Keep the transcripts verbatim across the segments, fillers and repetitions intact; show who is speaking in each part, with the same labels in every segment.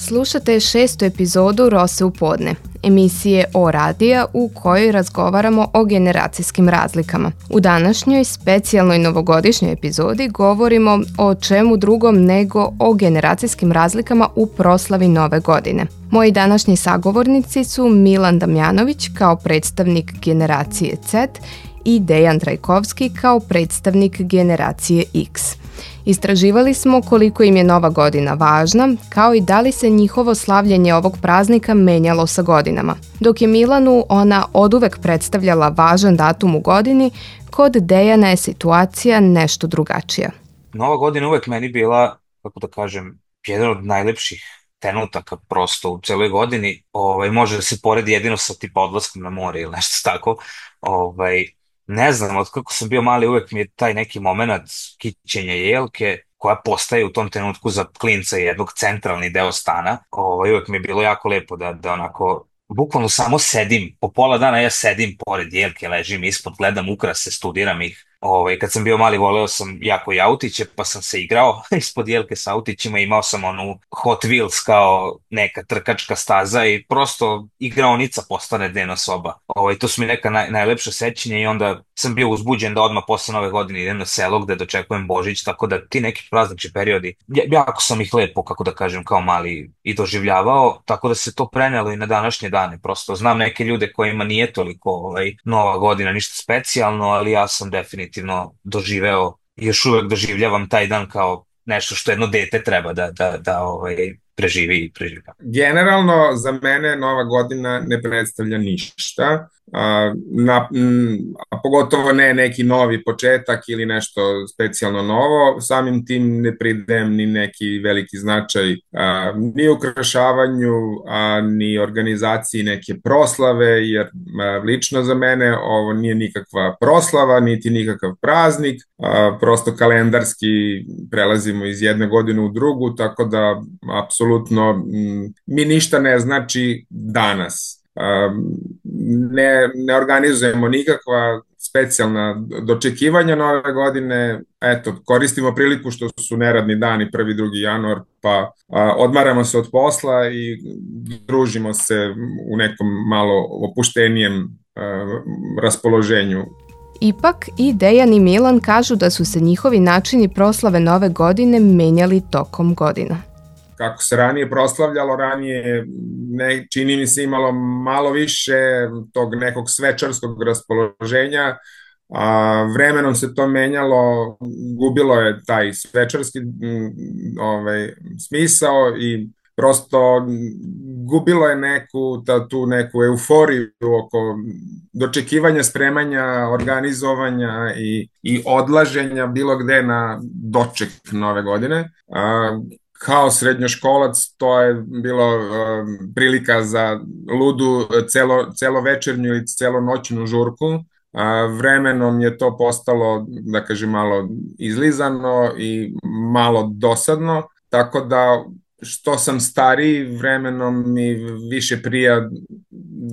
Speaker 1: Slušate šestu epizodu Rose u podne, emisije o radija u kojoj razgovaramo o generacijskim razlikama. U današnjoj specijalnoj novogodišnjoj epizodi govorimo o čemu drugom nego o generacijskim razlikama u proslavi Nove godine. Moji današnji sagovornici su Milan Damjanović kao predstavnik generacije Z i Dejan Trajkovski kao predstavnik generacije X. Istraživali smo koliko im je Nova godina važna, kao i da li se njihovo slavljenje ovog praznika menjalo sa godinama. Dok je Milanu ona oduvek predstavljala važan datum u godini, kod Dejana je situacija nešto drugačija.
Speaker 2: Nova godina uvek meni bila, kako da kažem, jedan od najlepših trenutaka prosto u celoj godini. Ovaj, može da se poredi jedino sa tipa odlaskom na more ili nešto tako. Ovaj, ne znam, od kako sam bio mali uvek mi je taj neki moment kićenja jelke koja postaje u tom trenutku za klinca jednog centralni deo stana. Ovaj, uvek mi je bilo jako lepo da, da onako bukvalno samo sedim, po pola dana ja sedim pored jelke, ležim ispod, gledam ukrase, studiram ih. Ovaj, kad sam bio mali voleo sam jako i autiće, pa sam se igrao ispod jelke sa autićima, imao sam onu Hot Wheels kao neka trkačka staza i prosto igraonica postane dnevna soba. Ovaj, to su mi neka naj, najlepša sećanja i onda sam bio uzbuđen da odmah posle Nove godine idem na selo gde dočekujem Božić, tako da ti neki praznični periodi, ja- jako sam ih lepo, kako da kažem, kao mali i doživljavao, tako da se to prenelo i na današnje dane. Prosto znam neke ljude kojima nije toliko ovaj, Nova godina ništa specijalno, ali ja sam definitivno doživeo i još uvek doživljavam taj dan kao nešto što jedno dete treba da, da, da ovaj, preživi i preživlja.
Speaker 3: Generalno, za mene Nova godina ne predstavlja ništa, a, na, m, a pogotovo ne neki novi početak ili nešto specijalno novo. Samim tim ne pridajem ni neki veliki značaj a, ni ukrašavanju, a ni organizaciji neke proslave, jer a, lično za mene ovo nije nikakva proslava, niti nikakav praznik, a, prosto kalendarski prelazimo iz jedne godine u drugu, tako da apsolutno m, mi ništa ne znači danas. Um, ne, ne organizujemo nikakva specijalna dočekivanja Nove godine. Eto, koristimo priliku što su neradni dani prvi, drugi januar, pa a, odmaramo se od posla i družimo se u nekom malo opuštenijem a, raspoloženju.
Speaker 1: Ipak i Dejan i Milan kažu da su se njihovi načini proslave Nove godine menjali tokom godina.
Speaker 3: Kako se ranije proslavljalo, ranije ne, čini mi se imalo malo više tog nekog svečarskog raspoloženja, a vremenom se to menjalo, gubilo je taj svečarski m, ovaj, smisao i prosto m, gubilo je neku, ta, tu neku euforiju oko dočekivanja, spremanja, organizovanja i, i odlaženja bilo gde na doček Nove godine. A, kao srednjoškolac to je bilo um, prilika za ludu celo, celovečernju ili celonoćnu žurku. A, vremenom je to postalo, da kažem, malo izlizano i malo dosadno, tako da što sam stariji, vremenom mi više prija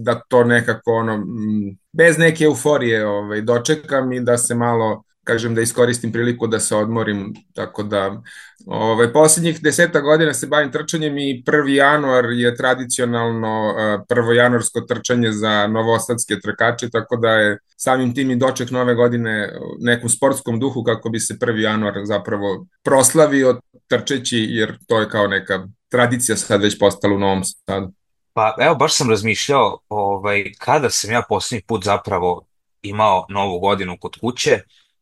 Speaker 3: da to nekako ono, m, bez neke euforije ovaj, dočekam i da se malo, kažem, da iskoristim priliku da se odmorim, tako da ovaj, posljednjih deseta godina se bavim trčanjem i prvi januar je tradicionalno uh, prvo januarsko trčanje za novosadske trkače, tako da je samim tim i doček Nove godine u nekom sportskom duhu kako bi se prvi januar zapravo proslavio trčeći, jer to je kao neka tradicija sad već postala u Novom Sadu.
Speaker 2: Pa evo, baš sam razmišljao ovaj, kada sam ja posljednji put zapravo imao Novu godinu kod kuće,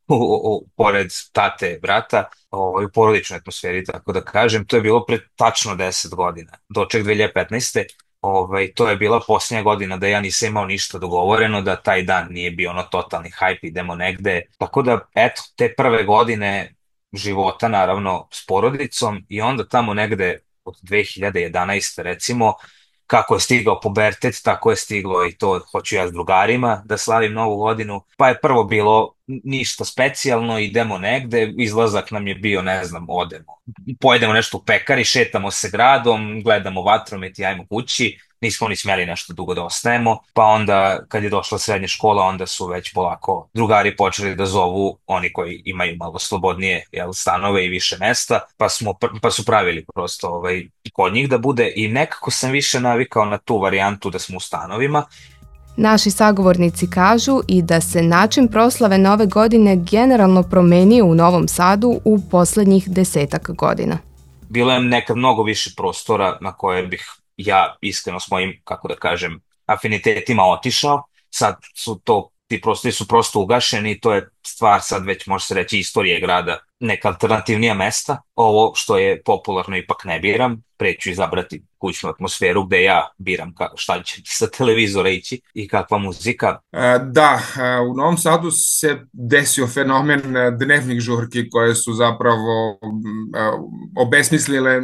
Speaker 2: u, u, u- pored tate, brata, ovaj, u porodičnoj atmosferi, tako da kažem, to je bilo pred tačno deset godina, doček dve hiljade petnaeste. Ovaj, to je bila posljednja godina da ja nisam imao ništa dogovoreno, da taj dan nije bio ono totalni hype, idemo negde. Tako da, eto, te prve godine života, naravno, s porodicom i onda tamo negde od dve hiljade jedanaeste recimo, kako je stigao pubertet, tako je stiglo i to hoću ja s drugarima da slavim Novu godinu. Pa je prvo bilo ništa specijalno, idemo negde, izlazak nam je bio, ne znam, odemo. Pojedemo nešto u pekari, šetamo se gradom, gledamo vatromet i ajmo kući. nismo ni smjeli nešto dugo da ostajemo, pa onda kad je došla srednja škola, onda su već polako drugari počeli da zovu oni koji imaju malo slobodnije, jel, stanove i više mesta, pa, smo, pa su pravili prosto ovaj, kod njih da bude i nekako sam više navikao na tu varijantu da smo u stanovima.
Speaker 1: Naši sagovornici kažu i da se način proslave Nove godine generalno promenio u Novom Sadu u poslednjih desetak godina.
Speaker 2: Bilo je nekad mnogo više prostora na koje bih ja iskreno s mojim, kako da kažem, afinitetima otišao. Sad su to, ti prostori su prosto ugašeni i to je stvar sad već može se reći istorije grada, neka alternativnija mesta. Ovo što je popularno ipak ne biram, preću izabrati kućnu atmosferu gde ja biram ka, šta će sa televizora ići i kakva muzika.
Speaker 3: Da, u Novom Sadu se desio fenomen dnevnih žurki koje su zapravo obesmislile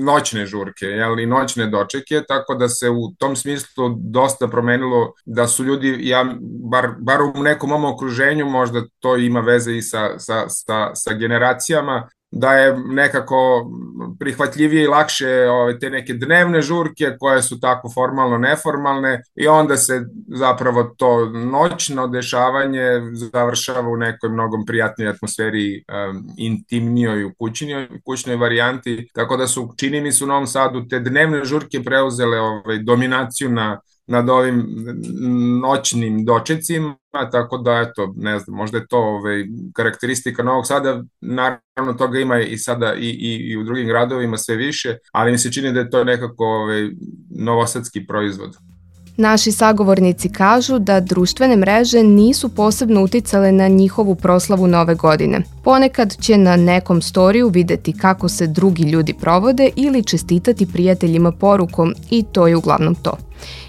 Speaker 3: noćne žurke, jel, i noćne dočeke, tako da se u tom smislu dosta promenilo, da su ljudi, ja, bar, bar u nekom mom okruženju, možda to ima veze i sa, sa, sa, sa generacijama, da je nekako prihvatljivije i lakše ove, te neke dnevne žurke koje su tako formalno neformalne i onda se zapravo to noćno dešavanje završava u nekoj mnogo prijatnoj atmosferi, um, intimnijoj u kućnoj, kućnoj varijanti, tako da su, čini mi se, u Novom Sadu te dnevne žurke preuzele ovaj, dominaciju na nad ovim noćnim dočecima, tako da, eto, ne znam, možda je to ovaj, karakteristika Novog Sada, naravno toga ima i sada i, i, i u drugim gradovima sve više, ali mi se čini da je to nekako ovaj, novosadski proizvod.
Speaker 1: Naši sagovornici kažu da društvene mreže nisu posebno uticale na njihovu proslavu Nove godine. Ponekad će na nekom storiju videti kako se drugi ljudi provode ili čestitati prijateljima porukom i to je uglavnom to.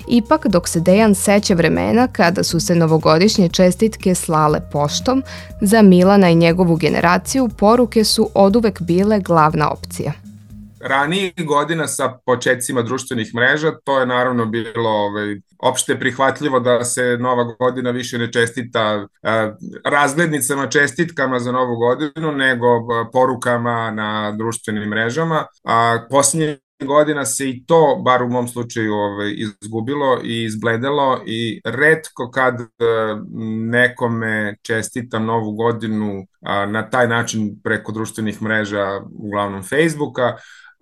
Speaker 1: Ipak, dok se Dejan seća vremena kada su se novogodišnje čestitke slale poštom, za Milana i njegovu generaciju poruke su oduvek bile glavna opcija.
Speaker 3: Ranijih godina sa početcima društvenih mreža to je naravno bilo ovaj, opšte prihvatljivo da se Nova godina više ne čestita eh, razglednicama, čestitkama za Novu godinu, nego porukama na društvenim mrežama. A posljednje godina se i to, bar u mom slučaju, ovaj, izgubilo i izbledelo i retko kad eh, nekome čestitam Novu godinu a, na taj način preko društvenih mreža, uglavnom Facebooka,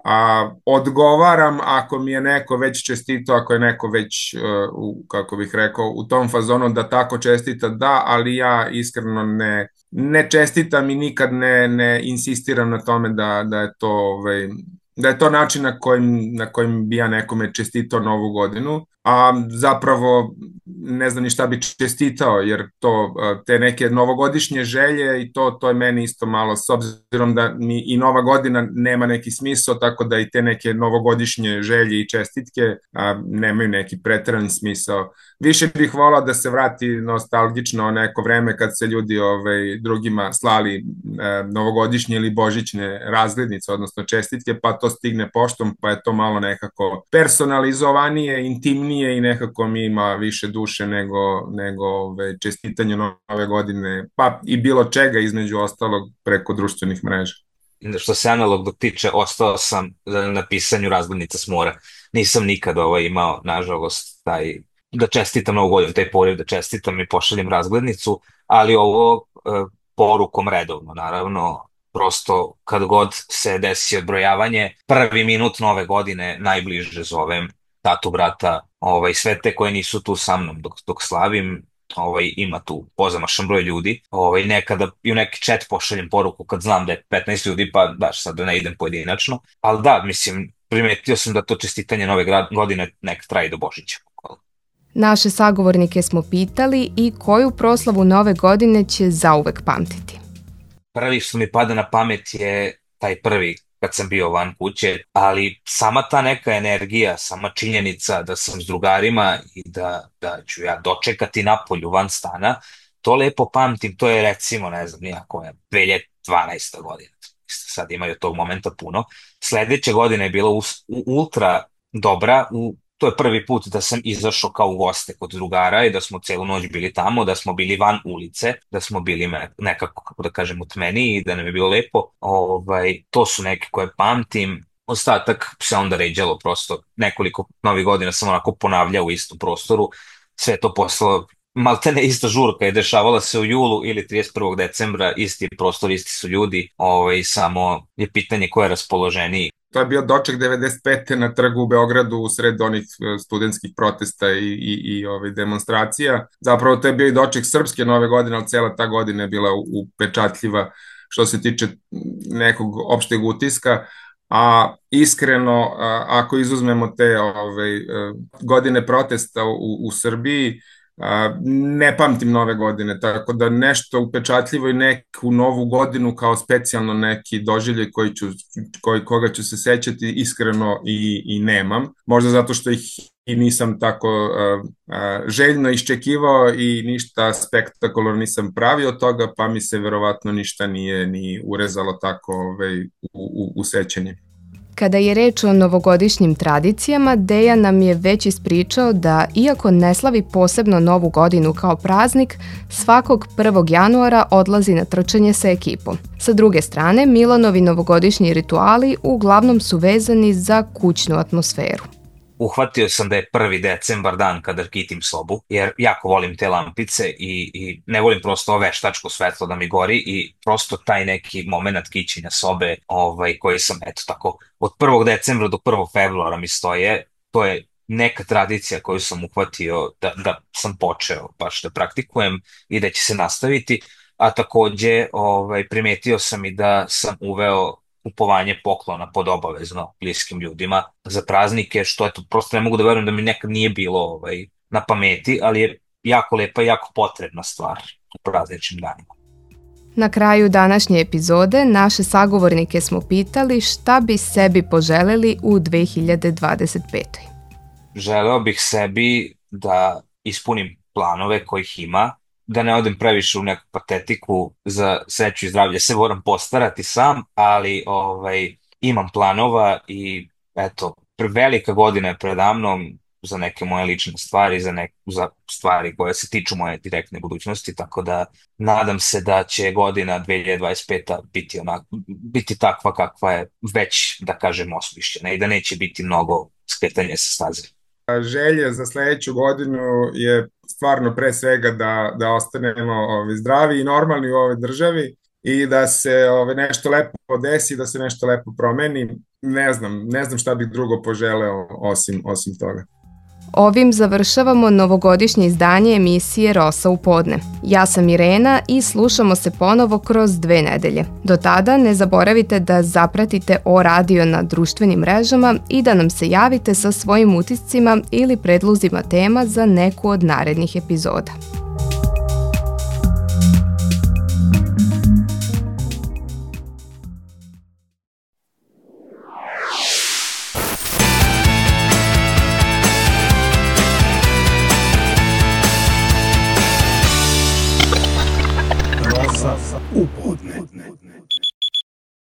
Speaker 3: a odgovaram ako mi je neko već čestito, ako je neko već, uh, u, kako bih rekao, u tom fazonu da tako čestita, da, ali ja iskreno ne, ne čestitam i nikad ne, ne insistiram na tome da, da je to ovaj, da je to način na kojim, na kojim bi ja nekome čestitao Novu godinu, a zapravo ne znam ni šta bi čestitao, jer to, te neke novogodišnje želje i to, to je meni isto malo, s obzirom da mi i Nova godina nema neki smisao, tako da i te neke novogodišnje želje i čestitke a, nemaju neki preterani smisao. Više bih volao da se vrati nostalgično neko vreme kad se ljudi ovaj, drugima slali e, novogodišnje ili božićne razglednice, odnosno čestitke, pa to stigne poštom, pa je to malo nekako personalizovanije, intimnije i nekako mi ima više duše nego, nego ove, čestitanje Nove godine, pa i bilo čega između ostalog preko društvenih mreža.
Speaker 2: Što se analognog tiče, ostao sam na pisanju razglednica s mora. Nisam nikad ovaj, imao, nažalost, taj da čestitam Novu godinu, taj poriv da čestitam i pošaljem razglednicu, ali ovo e, porukom redovno, naravno, prosto kad god se desi odbrojavanje, prvi minut Nove godine najbliže zovem tatu, brata, ovaj, sve te koje nisu tu sa mnom dok, dok slavim, ovaj, ima tu pozamašan broj ljudi, ovaj, nekada i u neki chat pošaljem poruku kad znam da je petnaest ljudi, pa baš sad da ne idem pojedinačno, ali da, mislim, primetio sam da to čestitanje Nove godine nek traje do Božića.
Speaker 1: Naše sagovornike smo pitali i koju proslavu Nove godine će zauvek pamtiti.
Speaker 2: Prvi što mi pada na pamet je taj prvi kad sam bio van kuće, ali sama ta neka energija, sama činjenica da sam s drugarima i da, da ću ja dočekati napolju van stana, to lepo pamtim, to je recimo, ne znam, nijako je dve hiljade dvanaesta godina, sad imaju tog momenta puno. Sledeća godina je bila u, u ultra dobra, u to je prvi put da sam izašao kao u goste kod drugara i da smo celu noć bili tamo, da smo bili van ulice, da smo bili nekako, kako da kažem, u tmeni i da nam je bilo lepo. Ovaj, to su neke koje pamtim. ostatak se onda ređalo prosto. Nekoliko novih godina sam onako ponavljao u istom prostoru, sve to poslalo maltene ista žurka je dešavala se u julu ili trideset prvog decembra, isti prostor, isti su ljudi, ovaj, samo je pitanje ko je raspoloženiji.
Speaker 3: To je bio doček devedeset pete na trgu u Beogradu u sred onih studentskih protesta i, i, i ove demonstracija. Zapravo to je bio i doček srpske nove godine, ali cela ta godina je bila upečatljiva što se tiče nekog opšteg utiska. A iskreno, a, ako izuzmemo te ove, godine protesta u, u Srbiji, a, ne pamtim nove godine, tako da nešto upečatljivo i neku novu godinu kao specijalno neki doživljaj koji ću, koji, koga ću se sećati iskreno i, i nemam. Možda zato što ih i nisam tako a, a, željno iščekivao i ništa spektakularno nisam pravio od toga, pa mi se verovatno ništa nije ni urezalo tako ove, u, u, u sećanje.
Speaker 1: Kada je reč o novogodišnjim tradicijama, Dejan nam je već ispričao da, iako ne slavi posebno Novu godinu kao praznik, svakog prvog januara odlazi na trčanje sa ekipom. Sa druge strane, Milanovi novogodišnji rituali uglavnom su vezani za kućnu atmosferu.
Speaker 2: Uhvatio sam da je prvi decembar dan kada kitim sobu, jer jako volim te lampice i, i ne volim prosto veštačko svetlo da mi gori i prosto taj neki moment kićenja sobe ovaj, koji sam, eto tako, od prvog decembra do prvog februara mi stoje, to je neka tradicija koju sam uhvatio da, da sam počeo baš da praktikujem i da će se nastaviti, a takođe ovaj, primetio sam i da sam uveo kupovanje poklona pod obavezno bliskim ljudima za praznike, što eto, prosto ne mogu da verujem da mi nekad nije bilo ovaj, na pameti, ali je jako lepa i jako potrebna stvar u prazničnim danima.
Speaker 1: Na kraju današnje epizode naše sagovornike smo pitali šta bi sebi poželeli u dve hiljade dvadeset petoj.
Speaker 2: Želeo bih sebi da ispunim planove kojih ima, da ne odem previše u neku patetiku, za sreću i zdravlje se moram postarati sam, ali ovaj, imam planova i eto, velika godina je predamnom za neke moje lične stvari, za, nek, za stvari koje se tiču moje direktne budućnosti, tako da nadam se da će godina dve hiljade dvadeset peta biti, onak, biti takva kakva je već, da kažem, osmišljena i da neće biti mnogo skretanja sa staze.
Speaker 3: Želje za sledeću godinu je stvarno pre svega da, da ostanemo ovi, zdravi i normalni u ovoj državi i da se ovi, nešto lepo desi, da se nešto lepo promeni. Ne znam, ne znam šta bih drugo poželeo osim, osim toga.
Speaker 1: Ovim završavamo novogodišnje izdanje emisije Rosa u podne. Ja sam Irena i slušamo se ponovo kroz dve nedelje. Do tada ne zaboravite da zapratite O Radio na društvenim mrežama i da nam se javite sa svojim utiscima ili predlozima tema za neku od narednih epizoda.